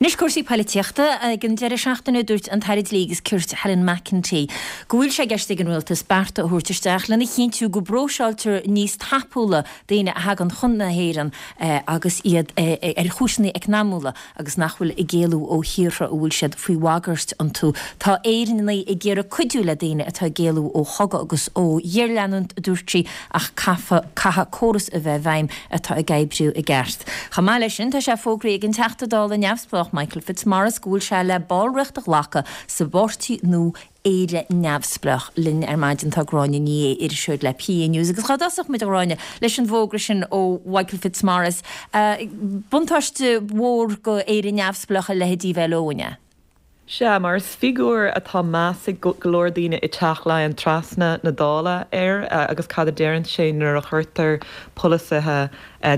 Anois cúrsaí poilitíochta. Ag an deireadh seachtaine dúirt an tAire Dlí agus Cirt Helen McEntee go bhfuil sé i gceist ag an Rialtas bearta a thabhairt isteach lena chinntiú go bpróiseáiltear níos tapúla daoine a thagann chun na hÉireann agus iad ar chúiseanna eacnamúla agus nach bhfuil ag éalú ó thíortha a bhfuil siad faoi bhagairt iontu. Tá Éireannaigh ag iarraidh cuidiú le daoine atá ag éalú ó chogadh agus ó ghéarleanúint, a dúirt sí, ach caithfidh córas a bheith i bhfeidhm atá ag oibriú i gceart. Chomh maith leis sin, tá sé fógraithe ag an Teachta Dála neamhspleách Michael Fitzmaurice go bhfuil sé le ballraíocht a ghlacadh sa bpáirtí nua Éire Neamhspleách. Linn ar maidin tá Gráinne Ní Aodha, iriseoir le PA News. Agus cá dtosódh muid, a Ghráinne, leis an bhfógra sin ó Mhichael Fitzmaurice? Buntáiste mhór go Éire Neamhspleách a leithéidí bheith leo, an ea? Sea, mar is figiúr atá meas ag go leor daoine i dTeach Laighean trasna na Dála air agus cad a deireann sé nuair a chuirtear polasaithe,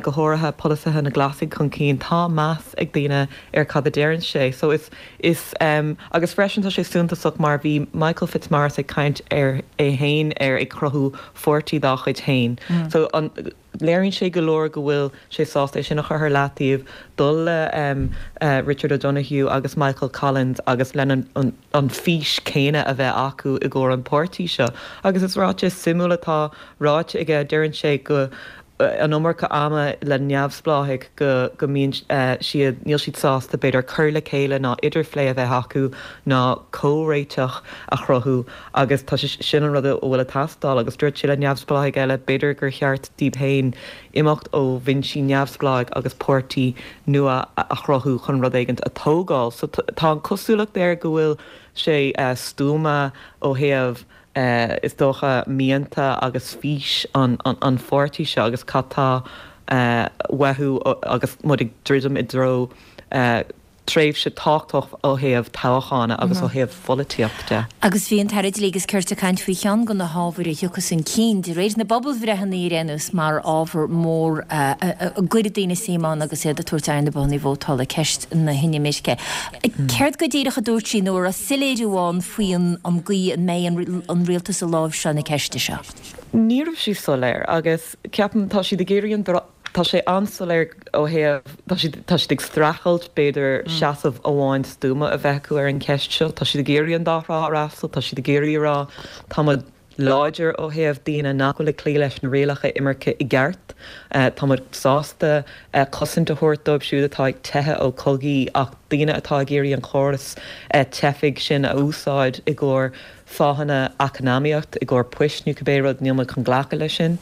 go háirithe polasaithe na Glasaigh chun cinn, tá meas ag daoine ar cad a deireann sé. So is, is, agus freisin tá sé suntasach mar bhí Michael Fitzmaurice ag caint ar é fhéin ar ag cruthú pháirtí dá chuid fhéin. So an. Léiríonn sé go leor go bhfuil sé sásta é sin a chur ar leataobh, dul le Richard O'Donoghue agus Michael Collins agus lena an fís céanna a bheith acu i gcomhair an páirtí seo. Agus is ráiteas suimiúil atá ráite aige, deireann sé go an iomarca ama le neamhspleáigh go go mbíonn siad, níl siad sásta b'fhéidir cur le chéile ná idirphlé a bheith acu ná comhréiteach a chruthú. Agus tá sé sin an rud a bhfuil ag teastáil. Agus dúirt sé le neamhspleáigh eile, b'fhéidir gur cheart díobh féin imeacht ó bhinsí neamhspleáigh agus páirtí nua a chruthú chun rud éigint a tógáil. So tá an cosúlacht air go bhfuil sé stuama ó thaobh, is dócha, mianta agus fís an pháirtí seo agus cad tá uathu agus muid ag druidim i dtreo tréimhse tábhachtach ó thaobh toghcháin agus ó thaobh pholaitíocht de. Agus bhí an tAire Dlí agus Cirt ag caint faoi cheann de na hábhair a thiocfas chun cinn de réir na bpobalbhreitheanna ar aon nós mar ábhar mór a gcuirfidh daoine suim ann agus iad ag tabhairt aghaidh ar na bothanna vótála, ceist na hinimirce. Céard go díreach a dúirt sí nó an raibh soiléiriú ann faoi an gcaoi a mbeidh an rialtas ag láimhseáil na ceiste seo? Ní raibh sí soiléir agus ceapaim tá siad ag iarraidh an Tá sé an-soiléir ó thaobh, tá siad, tá siad ag streachailt, b'fhéidir, seasamh amháin stuama a bheith acu ar an cheist seo. Tá siad ag iarraidh an dá thrá a fhreastal, tá siad ag iarraidh a rá, tá muid láidir ó thaobh daoine nach bhfuil ag cloí leis na rialacha imirce i gceart, tá muid sásta cosaint a thabhairt dóibh siúd atá ag teitheadh ó chogaí ach daoine atá ag iarraidh an córas teifigh sin a úsáid i gcomhair fáthanna eacnamaíocht, i gcomhair poist nó cibé rud, níl muid chun glacadh leis sin.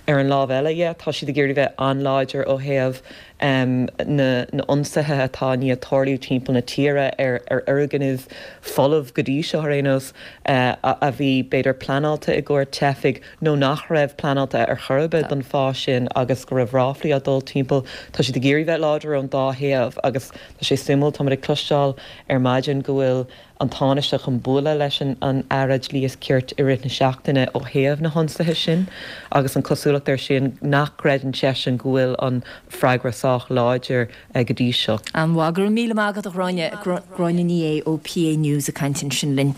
Ar an lámh eile dhe, tá siad ag iarraidh bheith an-láidir ó thaobh na n-ionsaithe atá i ndiaidh tarlú timpeall na tíre ar fhoirgnimh folamh go dtí seo ar aon nós, a bhí b'fhéidir pleanáilte i gcomhair teifigh nó nach raibh pleanáilte ar chor ar bith don fáth sin agus go raibh ráflaí á dul timpeall. Tá siad ag iarraidh bheith láidir ón dá thaobh agus tá sé suimiúil, tá muid ag cloisteáil ar maidin go bhfuil an Tánaiste chun bualadh leis an Aire Dlí is Cirt i rith na seachtaine ó thaobh na hionsaithe sin agus an cosúlacht air sin nach gcreideann seisean go bhfuil an freagra sách láidir go dtí seo. An-mhaith. Go raibh míle maith agat a Ghráinne. Gráinne Ní Aodha ó PA News ag caint ansin linn.